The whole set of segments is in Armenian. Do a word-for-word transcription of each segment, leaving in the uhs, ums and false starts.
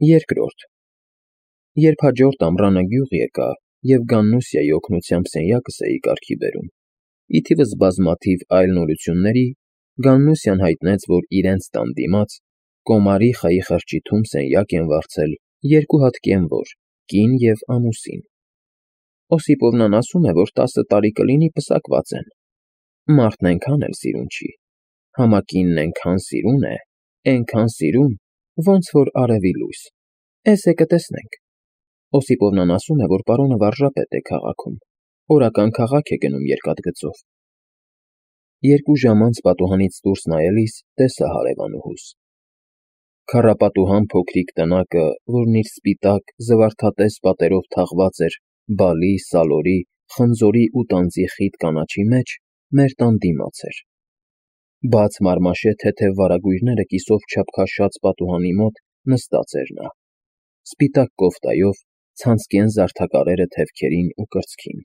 Երկրորդ Երբ հաջորդ ամռանը գյուղ եկա և Գաննուսյայի օգնությամբ սենյակս էի կարգի բերում, ի թիվս բազմաթիվ այլ նորությունների, Գաննուսյան հայտնեց, որ իրենց տան դիմաց, կոմարի խայի խրճիթում սենյակ են վարձել երկու հատ կենվոր՝ կին և ամուսին։ Օսիպովնան ասում է, որ տասը տարի կլինի պսակված են։ Մարդն էնքան էլ սիրուն չի, համակինն էնքան սիրուն է, էնքան սիրուն, ոնց որ արևի լույս, էս է կտեսնենք։ Օսիպովնան ասում է, որ պարոնը վարժապետ է քաղաքում, օրական քաղաք է գնում երկաթգծով։ Երկու ժամ անց պատուհանից դուրս նայելիս տեսա հարևանուհուս։ Քառապատուհան փոքրիկ տնակը, որն իր սպիտակ, զվարթատես պատերով թաղված էր բալի, սալորի, խնձորի ու տանձի խիտ կանաչի մեջ, մեր տան դիմաց էր։ Բաց մարմաշե թեթև վարագույրները կիսով չափ քաշած պատուհանի մոտ նստած էր նա, սպիտակ կոֆտայով, ցանցկեն զարդաքարերը թևքերին ու կրծքին,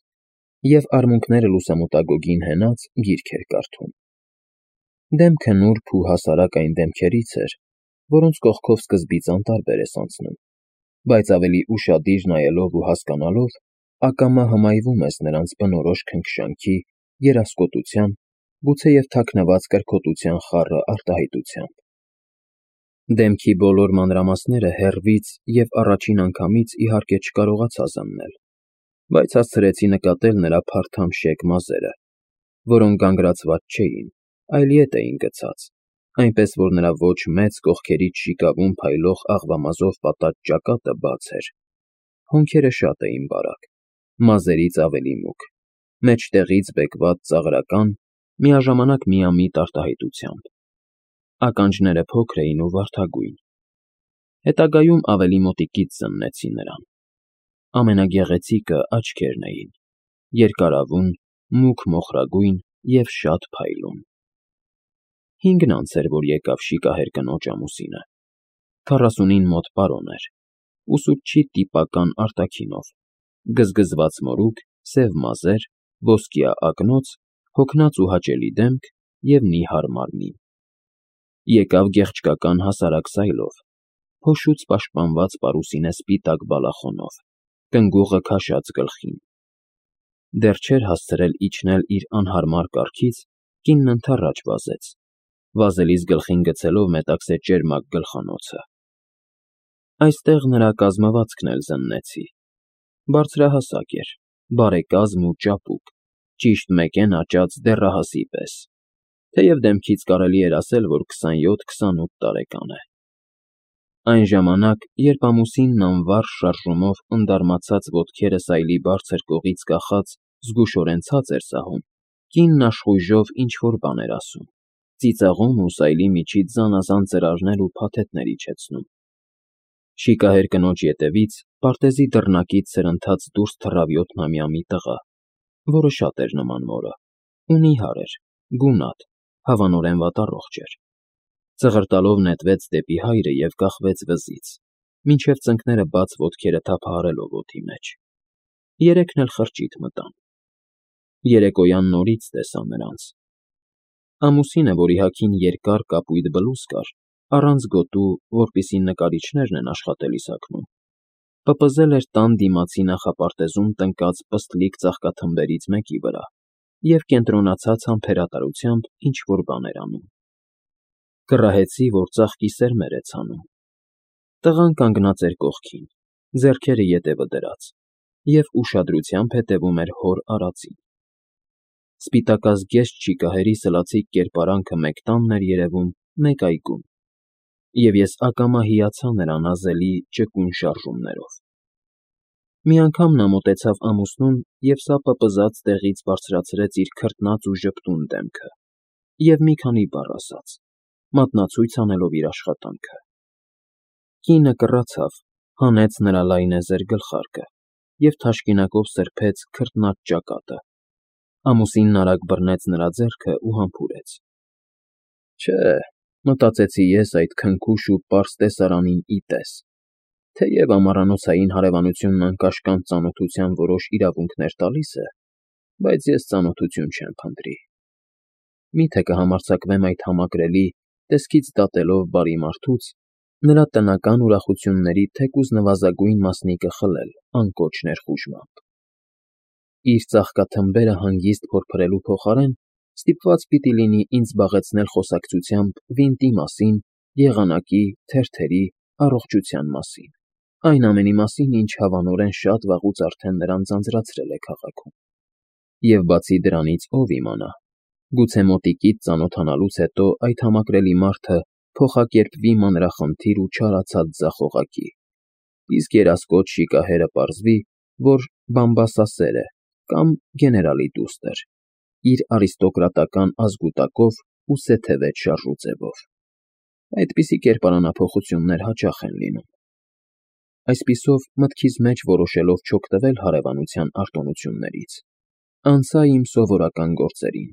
և արմունկները լուսամուտագոգին հենած գիրք էր կարդում։ Դեմքը նուրբ ու հասարակ այն դեմքերից էր, որոնց կողքով սկզբից անտարբեր ես անցնում, բայց ավելի ուշադիր նայելով ու հասկանալով, ակամա հմայվում ես նրանց բնորոշ քնքշանքի, երասկոտության, գուցեև թաքնված կրքոտության խառը արտահայտությամբ։ Դեմքի բոլոր մանրամասները հեռվից և առաջին անգամից իհարկե չկարողացա զննել, բայց հասցրեցի նկատել նրա փարթամ-շեկ մազերը, որոնք գանգրացված չէին, այլ ետ էին գցած, այնպես որ նրա ոչ մեծ կողքերից շիկավում փայլող աղվամազով պատած ճակատը բաց էր, հոնքերը շատ էին բարակ, մազերից ավելի մուգ, մեջտեղից բեկված ծաղրական, միաժամանակ միամիտ արտահայտությամբ։ Ականջները փոքր էին ու վարդագույն։ Հետագայում ավելի մոտիկից զննեցի նրան։ Ամենագեղեցիկը աչքերն էին, երկարավուն, մուգ մոխրագույն և շատ փայլուն։ Հինգն անց էր, որ եկավ շիկահեր կնոջ ամուսինը։ Քառասունին մոտ պարոն էր, ուսուցչի տիպական արտաքինով, գզգզված մորուք, սև մազեր, ոսկյա ակնոց, հոգնած ու հաճելի դեմք և նիհար մարմին։ Եկավ գեղչկական հասարակ սայլով, փոշուց պաշտպանված պարուսինե սպիտակ բալախոնով, կնգուղը քաշած գլխին։ Դեռ չէր հասցրել իջնել իր անհարմար կառքից, կինն ընդառաջ վազեց, վազելիս գլխին գցելով մետաքսե ճերմակ գլխանոցը։ Այստեղ նրա կազմվածքն էլ զննեցի։ Բարձրահասակ էր, բարեկազմ ու ճապուկ, ճիշտ մեկեն աճած դեռահասի պես, թեև դեմքից կարելի էր ասել, որ քսանյոթ֊քսանութ տարեկան է։ Այն ժամանակ, երբ ամուսինն անվարժ շարժումով ընդարմացած ոտքերը սայլի բարձր կողից կախած զգուշորեն ցած էր սահում, կինն աշխույժով ինչ֊որ բան էր ասում, ծիծաղում ու սայլի միջից զանազան ծրարներ ու փաթեթներ իջեցնում։ Շիկահեր կնոջ ետևից, պարտեզի դռնակից սրընթաց դուրս թռավ յոթնամյա մի տղա, որը շատ էր նման մորը, ու նիհար էր, գունատ, հավանորեն վատառողջ էր։ Ծղրտալով նետվեց դեպի հայրը և կախվեց վզից, մինչև ծնկները բաց ոտքերը թափահարելով օդի մեջ։ Երեքն էլ խրճիթ մտան։ Երեկոյան նորից տեսա նրանց։ Ամուսինը, որի հագին երկար կապույտ բլուզ կար, առանց գոտու, որպեսզի նկարիչներն են աշխատելիս հագնում, պպզել էր տան դիմացի նախապարտեզում տնկած պստլիկ ծաղկաթմբերից մեկի վրա և կենտրոնացած համբերատարությամբ ինչ֊որ բան էր անում։ Կռահեցի, որ ծաղկի սերմեր է ցանում։ Տղան կանգնած էր կողքին, ձեռքերը ետևը դրած, և ուշադրությամբ հետևում էր հոր արածին։ Սպիտակազգեստ շիկահերի սլացիկ կերպարանքը մեկ տանն էր երևում, մեկ այգում, և ես ակամա հիացա նրա նազելի, ճկուն շարժումներով։ Մի անգամ նա մոտեցավ ամուսնուն և սա պպզած տեղից բարձրացրեց իր քրտնած ու ժպտուն դեմքը և մի քանի բառ ասաց, մատնացույց անելով իր աշխատանքը։ Կինը կռացավ, հանեց նրա լայնեզր գլխարկը և թաշկինակով սրբեց քրտնած ճակատը։ Ամուսինն արագ բռնեց նրա ձեռքը ու համբուրեց։ Չէ, մտածեցի ես այդ քնքուշ ու պարզ տեսարանին ի տես, թեև ամառանոցային հարևանությունն անկաշկանդ ծանոթության որոշ իրավունքներ տալիս է, բայց ես ծանոթություն չեմ փնտրի։ Մի՞թե կհամարձակվեմ այդ համակրելի, տեսքից դատելով բարի մարդուց, Նրա տնական ուրախությունների թեկուզ նվազագույն մասնիկը խլել անկոչ ներխուժմամբ։ Իր ծաղկաթմբերը հանգիստ փորփրելու փոխարեն ստիպված պիտի լինի ինձ զբաղեցնել խոսակցությամբ վինտի մասին, եղանակի, թերթերի, առողջության մասին, այն ամենի մասին, ինչ հավանորեն շատ վաղուց արդեն նրան ձանձրացրել է քաղաքում։ Եվ բացի դրանից ով իմանա, գուցե մոտիկից ծանոթանալուց հետո այդ համակրելի մարդը փոխակերպվի մանրախնդիր ու չարացած ձախողակի, իսկ երասկոտ շիկահերը պարզվի, որ բամբասասեր է կամ գեներալի դուստր, իր արիստոկրատական ազգուտակով ու սեթևետ շարժուձևով։ Այդպիսի կերպարանափոխություններ հաճախ են լինում։ Այսպիսով, մտքիս մեջ որոշելով չօգտվել հարևանության արտոնություններից, անցա իմ սովորական գործերին.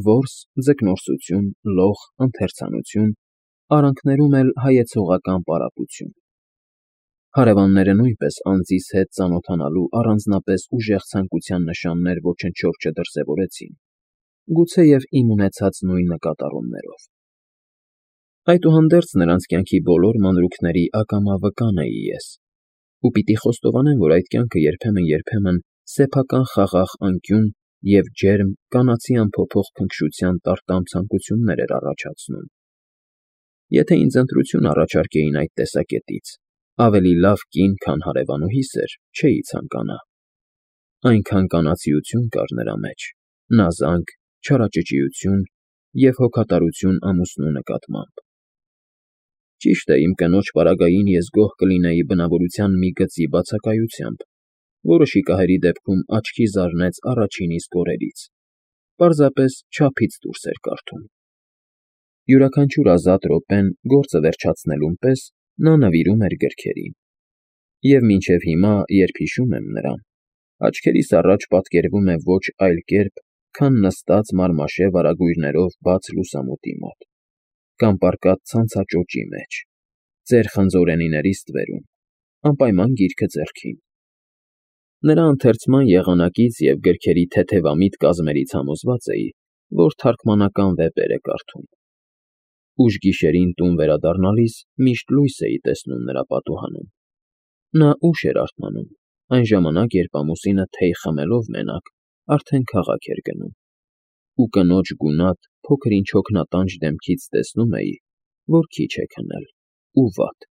որս, ձկնորսություն, լող, ընթերցանություն, արանքներում էլ հայեցողական պարապություն։ Հարևանները նույնպես անձիս հետ ծանոթանալու առանձնապես ուժեղ ցանկության նշաններ ոչնչով չդրսևորեցին, գուցեև իմ ունեցած նույն նկատառումներով։ Այդուհանդերձ նրանց կյանքի բոլոր մանրուքների ակամա վկան էի ես, ու պիտի խոստովանեմ, որ այդ կյանքը երբեմն֊երբեմն սեփական խաղաղ անկյուն և ջերմ, կանացի անփոփոխ քնքշության տարտամ ցանկություններ էր առաջացնում։ Եթե ինձ ընտրություն առաջարկեին այդ տեսակետից, ավելի լավ կին, քան հարևանուհիս էր, չէի ցանկանա։ Այնքան կանացիություն կար նրա մեջ, նազանք, չարաճճիություն և հոգատարություն ամուսնու նկատմամբ։ Ճիշտ է, իմ կնոջ պարագային ես գոհ կլինեի բնավորության մի գծի բացակայությամբ, որը շիկահերի դեպքում աչքի զարնեց առաջին իսկ օրերից, պարզապես չափից դուրս էր կարդում։ Յուրաքանչյուր ազատ րոպեն գործը վերջացնելուն պես նա նվիրում էր գրքերին, և մինչև հիմա, երբ հիշում եմ նրան, աչքերիս առաջ պատկերվում է ոչ այլ կերպ, քան նստած մարմաշե վարագույրներով բաց լուսամուտի մոտ, կամ պառկած ցանցաճոճի մեջ, ծեր խնձորենիների ստվերում, անպայման գիրքը ձեռքին։ Նրա ընթերցման եղանակից և գրքերի թեթևամիտ կազմերից համոզված էի, որ թարգմանական վեպեր է կարդում։ Ուշ գիշերին տուն վերադառնալիս միշտ լույս էի տեսնում նրա պատուհանում։ Նա ուշ էր արթնանում, այն ժամանակ, երբ ամուսինը թեյ խմելով մենակ արդեն քաղաք էր գնում, ու կնոջ գունատ, փոքր֊ինչ հոգնատանջ դեմքից տեսնում էի, որ քիչ է քնել ու վատ։